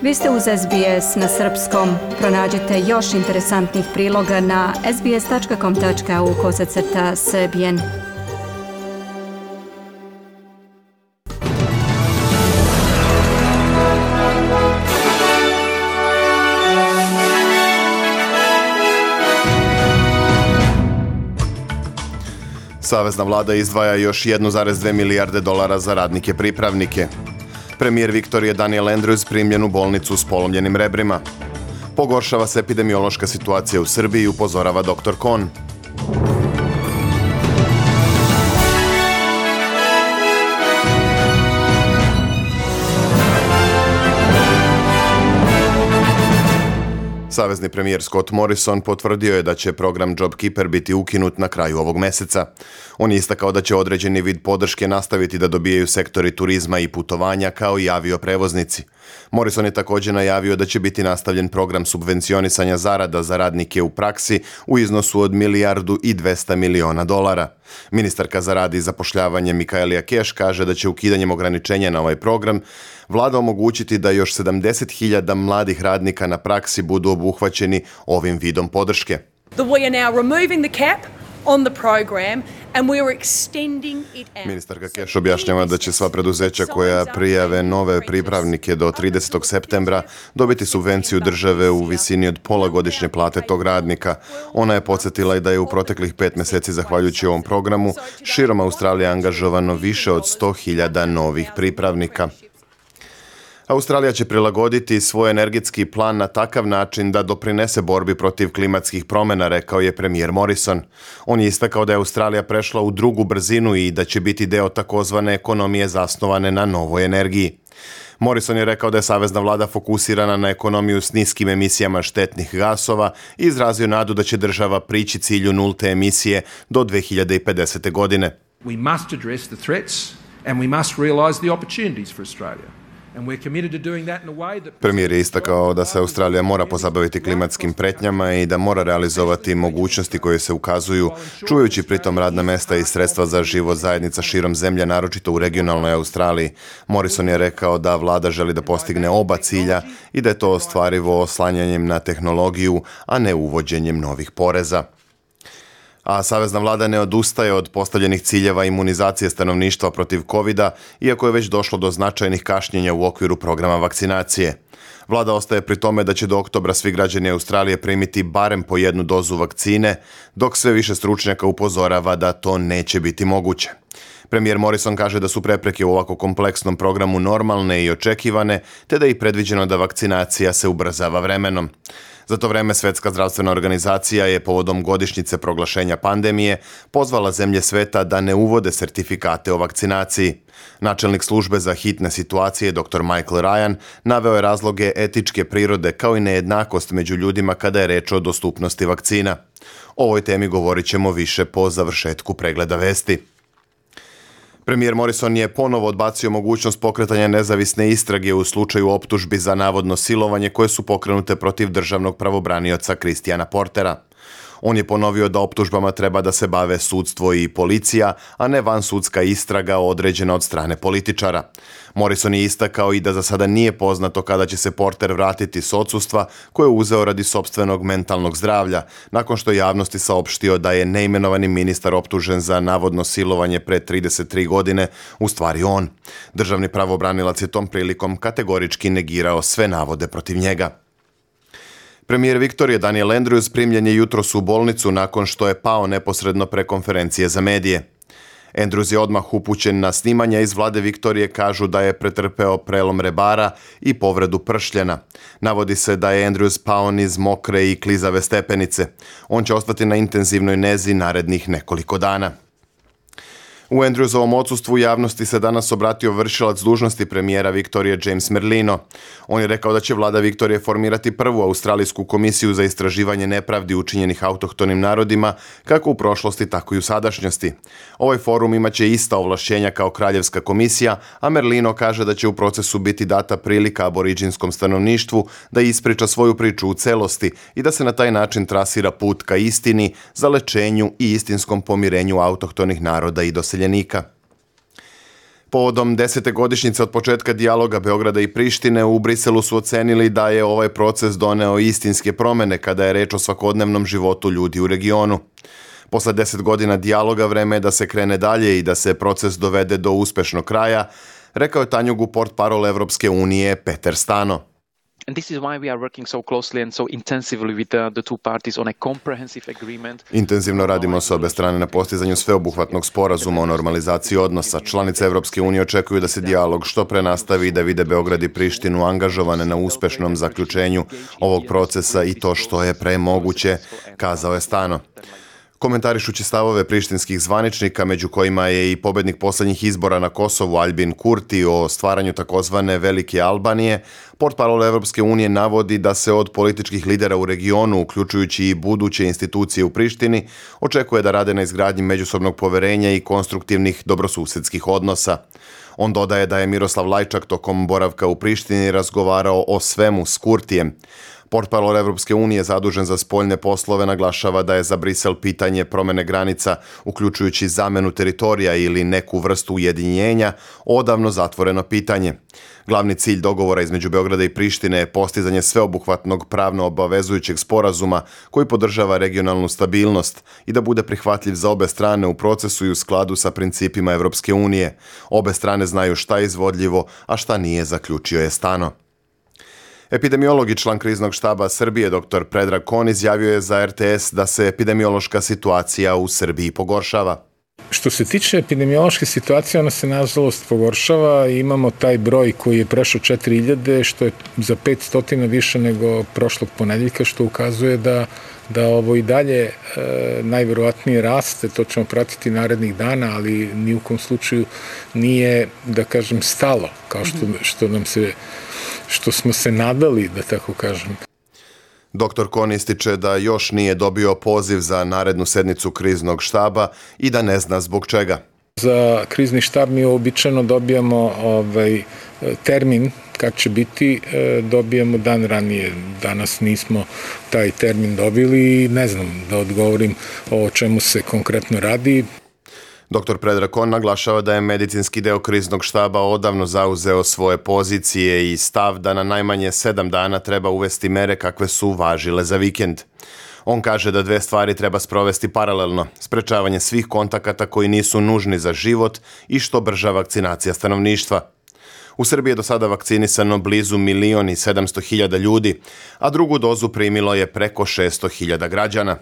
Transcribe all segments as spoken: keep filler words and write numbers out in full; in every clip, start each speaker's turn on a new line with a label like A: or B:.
A: Vi ste uz S B S na srpskom. Pronađite još interesantnih priloga na sbs.com.au kosacrta srbijen.
B: Savezna vlada izdvaja još jedan zarez dve milijarde dolara za radnike pripravnike. Premijer Viktorije Daniel Andrews primljen u bolnicu s polomljenim rebrima. Pogoršava se epidemiološka situacija u Srbiji, upozorava doktor Kon. Savezni premijer Scott Morrison potvrdio je da će program JobKeeper biti ukinut na kraju ovog meseca. On je istakao da će određeni vid podrške nastaviti da dobijaju sektori turizma i putovanja kao i avioprevoznici. Morrison je također najavio da će biti nastavljen program subvencionisanja zarada za radnike u praksi u iznosu od milijardu i dvesta miliona dolara. Ministarka za rad i zapošljavanje Michaelia Cash kaže da će ukidanjem ograničenja na ovaj program vlada omogućiti da još sedamdeset hiljada mladih radnika na praksi budu obuhvaćeni ovim vidom podrške. Ministarka Cash objašnjava da će sva preduzeća koja prijave nove pripravnike do tridesetog septembra dobiti subvenciju države u visini od pola godišnje plate tog radnika. Ona je podsjetila i da je u proteklih pet mjeseci zahvaljujući ovom programu širom Australije angažovano više od sto hiljada novih pripravnika. Australija će prilagoditi svoj energetski plan na takav način da doprinese borbi protiv klimatskih promjena, rekao je premijer Morrison. On je istakao da je Australija prešla u drugu brzinu i da će biti deo takozvane ekonomije zasnovane na novoj energiji. Morrison je rekao da je savezna vlada fokusirana na ekonomiju s niskim emisijama štetnih gasova i izrazio nadu da će država prići cilju nulte emisije do dve hiljade pedesete. godine.
C: We must address the threats and we must realize the opportunities for Australia.
B: Premijer je istakao da se Australija mora pozabaviti klimatskim pretnjama i da mora realizovati mogućnosti koje se ukazuju, čuvajući pritom radna mesta i sredstva za život zajednica širom zemlje, naročito u regionalnoj Australiji. Morrison je rekao da vlada želi da postigne oba cilja i da je to ostvarivo oslanjanjem na tehnologiju, a ne uvođenjem novih poreza. A savezna vlada ne odustaje od postavljenih ciljeva imunizacije stanovništva protiv kovida, iako je već došlo do značajnih kašnjenja u okviru programa vakcinacije. Vlada ostaje pri tome da će do oktobra svi građani Australije primiti barem po jednu dozu vakcine, dok sve više stručnjaka upozorava da to neće biti moguće. Premijer Morrison kaže da su prepreke u ovako kompleksnom programu normalne i očekivane, te da je i predviđeno da vakcinacija se ubrzava vremenom. Za to vreme Svjetska zdravstvena organizacija je povodom godišnjice proglašenja pandemije pozvala zemlje sveta da ne uvode sertifikate o vakcinaciji. Načelnik službe za hitne situacije doktor Michael Ryan naveo je razloge etičke prirode kao i nejednakost među ljudima kada je reč o dostupnosti vakcina. O ovoj temi govorit ćemo više po završetku pregleda vesti. Premijer Morrison je ponovo odbacio mogućnost pokretanja nezavisne istrage u slučaju optužbi za navodno silovanje koje su pokrenute protiv državnog pravobranioca Christiana Portera. On je ponovio da optužbama treba da se bave sudstvo i policija, a ne vansudska istraga određena od strane političara. Morrison je istakao i da za sada nije poznato kada će se Porter vratiti s odsustva koje je uzeo radi sopstvenog mentalnog zdravlja, nakon što je javnosti saopštio da je neimenovani ministar optužen za navodno silovanje pre trideset tri godine, u stvari on. Državni pravobranilac je tom prilikom kategorički negirao sve navode protiv njega. Premijer Viktorije Daniel Andrews primljen je jutros u bolnicu nakon što je pao neposredno pre konferencije za medije. Andrews je odmah upućen na snimanja iz vlade Viktorije, kažu da je pretrpeo prelom rebara i povredu pršljena. Navodi se da je Andrews pao niz mokre i klizave stepenice. On će ostati na intenzivnoj nezi narednih nekoliko dana. U Andrewsovom odsustvu javnosti se danas obratio vršilac dužnosti premijera Viktorije James Merlino. On je rekao da će vlada Viktorije formirati prvu australijsku komisiju za istraživanje nepravdi učinjenih autohtonim narodima, kako u prošlosti, tako i u sadašnjosti. Ovaj forum imaće ista ovlašćenja kao kraljevska komisija, a Merlino kaže da će u procesu biti data prilika aboriđinskom stanovništvu da ispriča svoju priču u celosti i da se na taj način trasira put ka istini, zalečenju i istinskom pomirenju autohtonih naroda i doseljenika. Povodom desete godišnjice od početka dijaloga Beograda i Prištine u Briselu su ocenili da je ovaj proces doneo istinske promjene kada je reč o svakodnevnom životu ljudi u regionu. Posle deset godina dijaloga vreme je da se krene dalje i da se proces dovede do uspešnog kraja, rekao je Tanjugu portparol Evropske unije Peter Stano.
D: And this is why we are working so closely and so intensively with the, the two parties on a comprehensive agreement.
B: Intenzivno radimo s obe strane na postizanju sveobuhvatnog sporazuma o normalizaciji odnosa. Članice Evropske unije očekuju da se dijalog što pre nastavi i da vide Beograd i Prištinu angažovane na uspešnom zaključenju ovog procesa i to što je pre moguće, kazao je Stano. Komentarišući stavove prištinskih zvaničnika, među kojima je i pobednik poslednjih izbora na Kosovu Albin Kurti o stvaranju takozvane Velike Albanije, portparol Evropske unije navodi da se od političkih lidera u regionu, uključujući i buduće institucije u Prištini, očekuje da rade na izgradnji međusobnog poverenja i konstruktivnih dobrosusedskih odnosa. On dodaje da je Miroslav Lajčak tokom boravka u Prištini razgovarao o svemu s Kurtijem. Portparol Evropske unije zadužen za spoljne poslove naglašava da je za Brisel pitanje promene granica, uključujući zamenu teritorija ili neku vrstu ujedinjenja, odavno zatvoreno pitanje. Glavni cilj dogovora između Beograda i Prištine je postizanje sveobuhvatnog pravno obavezujućeg sporazuma koji podržava regionalnu stabilnost i da bude prihvatljiv za obe strane u procesu i u skladu sa principima Evropske unije. Obe strane znaju šta je izvodljivo, a šta nije, zaključio je Stano. Epidemiolog i član kriznog štaba Srbije dr Predrag Kon izjavio je za R T S da se epidemiološka situacija u Srbiji pogoršava.
E: Što se tiče epidemiološke situacije, ona se nažalost pogoršava i imamo taj broj koji je prešao četiri hiljade, što je za petsto više nego prošlog ponedeljka, što ukazuje da da ovo i dalje e, najverovatnije raste, to ćemo pratiti narednih dana, ali ni u kom slučaju nije, da kažem, stalo, kao što, što nam se, što smo se nadali, da tako kažem.
B: Doktor Kon ističe da još nije dobio poziv za narednu sednicu kriznog štaba i da ne zna zbog čega.
E: Za krizni štab mi običajno dobijamo ovaj, termin kad će biti, dobijamo dan ranije. Danas nismo taj termin dobili i ne znam da odgovorim o čemu se konkretno radi.
B: Doktor Predrag Kon naglašava da je medicinski deo kriznog štaba odavno zauzeo svoje pozicije i stav da na najmanje sedam dana treba uvesti mere kakve su važile za vikend. On kaže da dve stvari treba sprovesti paralelno, sprečavanje svih kontakata koji nisu nužni za život i što brža vakcinacija stanovništva. U Srbiji je do sada vakcinisano blizu milion i sedamsto hiljada ljudi, a drugu dozu primilo je preko šesto hiljada građana.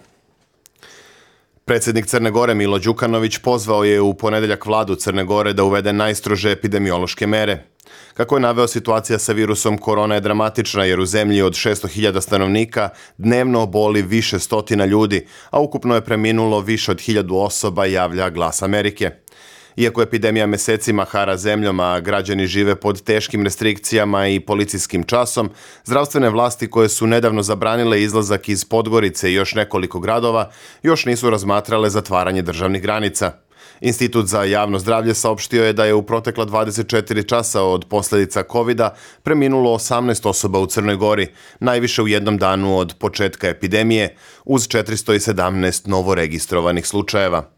B: Predsjednik Crne Gore Milo Đukanović pozvao je u ponedeljak vladu Crne Gore da uvede najstrože epidemiološke mere. Kako je naveo, situacija sa virusom korona je dramatična jer u zemlji od šesto hiljada stanovnika dnevno oboli više stotina ljudi, a ukupno je preminulo više od hiljadu osoba, javlja Glas Amerike. Iako epidemija mesecima hara zemljom, a građani žive pod teškim restrikcijama i policijskim časom, zdravstvene vlasti koje su nedavno zabranile izlazak iz Podgorice i još nekoliko gradova, još nisu razmatrale zatvaranje državnih granica. Institut za javno zdravlje saopštio je da je u protekla dvadeset četiri časa od posljedica kovida preminulo osamnaest osoba u Crnoj Gori, najviše u jednom danu od početka epidemije, uz četiristo sedamnaest novoregistrovanih slučajeva.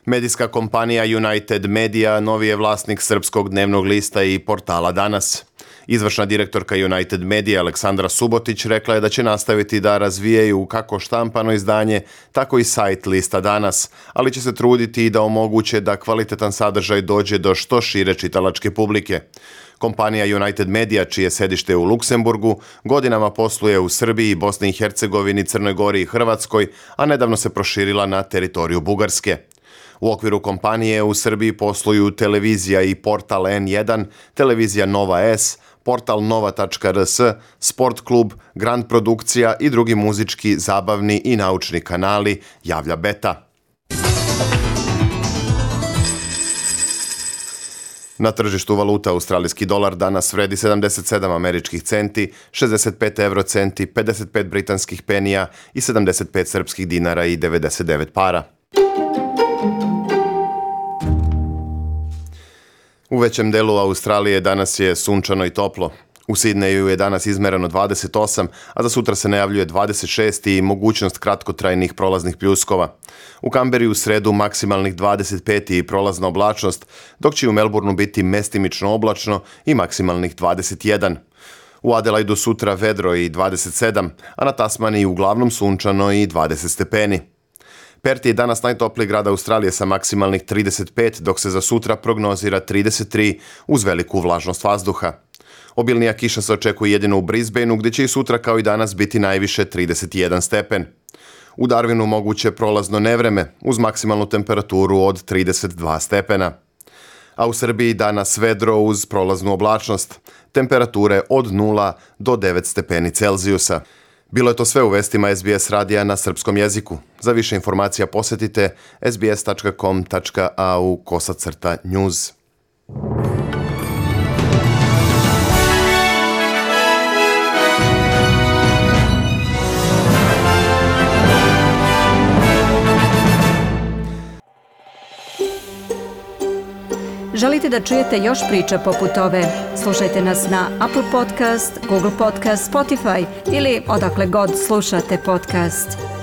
B: Medijska kompanija United Media novi je vlasnik srpskog dnevnog lista i portala Danas. Izvršna direktorka United Media Aleksandra Subotić rekla je da će nastaviti da razvijaju kako štampano izdanje, tako i sajt lista Danas, ali će se truditi i da omoguće da kvalitetan sadržaj dođe do što šire čitalačke publike. Kompanija United Media, čije sedište u Luksemburgu, godinama posluje u Srbiji, Bosni i Hercegovini, Crnoj Gori i Hrvatskoj, a nedavno se proširila na teritoriju Bugarske. U okviru kompanije u Srbiji posluju televizija i portal N jedan, televizija Nova S, portal nova tačka r s, sport klub, Grand produkcija i drugi muzički, zabavni i naučni kanali, javlja Beta. Na tržištu valuta australijski dolar danas vredi sedamdeset sedam američkih centi, šezdeset pet euro centi, pedeset pet britanskih penija i sedamdeset pet srpskih dinara i devedeset devet para. U većem delu Australije danas je sunčano i toplo. U Sidneju je danas izmereno dvadeset osam, a za sutra se najavljuje dvadeset šest i mogućnost kratkotrajnih prolaznih pljuskova. U Kamberi u sredu maksimalnih dvadeset pet i prolazna oblačnost, dok će u Melbourneu biti mestimično oblačno i maksimalnih dvadeset jedan. U Adelaidu sutra vedro i dvadeset sedam, a na Tasmaniji uglavnom sunčano i dvadeset stepeni. Perth je danas najtopliji grad Australije sa maksimalnih trideset pet, dok se za sutra prognozira trideset tri uz veliku vlažnost vazduha. Obilnija kiša se očekuje jedino u Brisbaneu, gdje će i sutra kao i danas biti najviše trideset jedan stepen. U Darwinu moguće prolazno nevreme uz maksimalnu temperaturu od trideset dva stepena. A u Srbiji danas vedro uz prolaznu oblačnost, temperature od nula do devet stepeni Celzijusa. Bilo je to sve u vestima S B S radija na srpskom jeziku. Za više informacija posjetite sbs tačka com tačka a u kosacrta news.
A: Želite da čujete još priča poput ove? Slušajte nas na Apple Podcast, Google Podcast, Spotify ili odakle god slušate podcast.